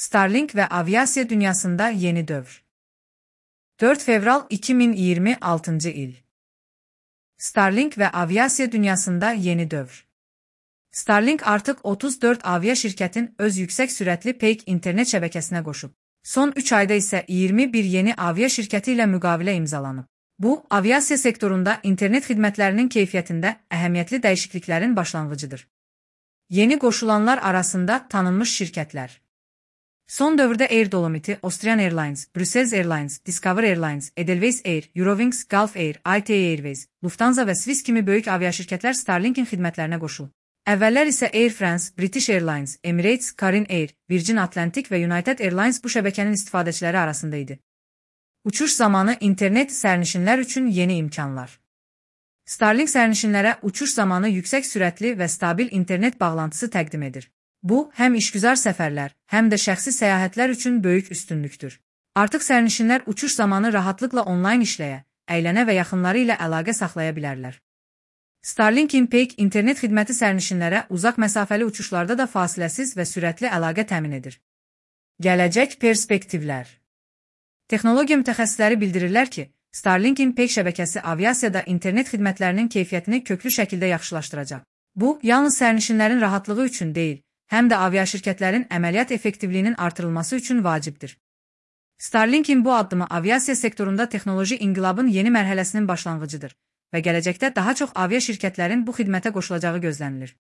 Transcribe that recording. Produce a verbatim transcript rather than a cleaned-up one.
Starlink ve aviasiya dünyasında yeni dövr. dört fevral iki bin yirmi altıncı il. Starlink ve aviasiya dünyasında yeni dövr. Starlink artıq otuz dörd avia şirkətin öz yüksək sürətli peyk internet şəbəkəsinə qoşub. Son üç ayda isə iyirmi bir yeni avia şirkəti ilə müqavilə imzalanıb. Bu, aviasiya sektorunda internet xidmətlərinin keyfiyyətində əhəmiyyətli dəyişikliklərin başlanğıcıdır. Yeni qoşulanlar arasında tanınmış şirkətlər. Son dövrdə Air Dolomiti, Austrian Airlines, Brussels Airlines, Discover Airlines, Edelweiss Air, Eurowings, Gulf Air, I T A Airways, Lufthansa və Swiss kimi böyük aviaşirkətlər Starlink'in xidmətlərinə qoşulub. Əvvəllər isə Air France, British Airlines, Emirates, Carin Air, Virgin Atlantic və United Airlines bu şəbəkənin istifadəçiləri arasında idi. Uçuş zamanı internet sərnişinlər üçün yeni imkanlar. Starlink sərnişinlərə uçuş zamanı yüksək sürətli və stabil internet bağlantısı təqdim edir. Bu, həm işgüzar səfərlər, həm də şəxsi səyahətlər üçün böyük üstünlükdür. Artıq sərnişinlər uçuş zamanı rahatlıqla onlayn işləyə, əylənə və yaxınları ilə əlaqə saxlaya bilərlər. Starlink'in peyk internet xidməti sərnişinlərə uzaq məsafəli uçuşlarda da fasiləsiz və sürətli əlaqə təmin edir. Gələcək perspektivlər. Texnologiya mütəxəssisləri bildirirlər ki, Starlink'in peyk şəbəkəsi aviasiyada internet xidmətlərinin keyfiyyətini köklü şəkildə yaxşılaşdıracaq. Bu, yalnız sərnişinlərin rahatlığı üçün deyil, həm də aviaşirkətlərin əməliyyat effektivliyinin artırılması üçün vacibdir. Starlink'in bu addımı aviasiya sektorunda texnoloji inqilabın yeni mərhələsinin başlanğıcıdır və gələcəkdə daha çox avia şirkətlərin bu xidmətə qoşulacağı gözlənilir.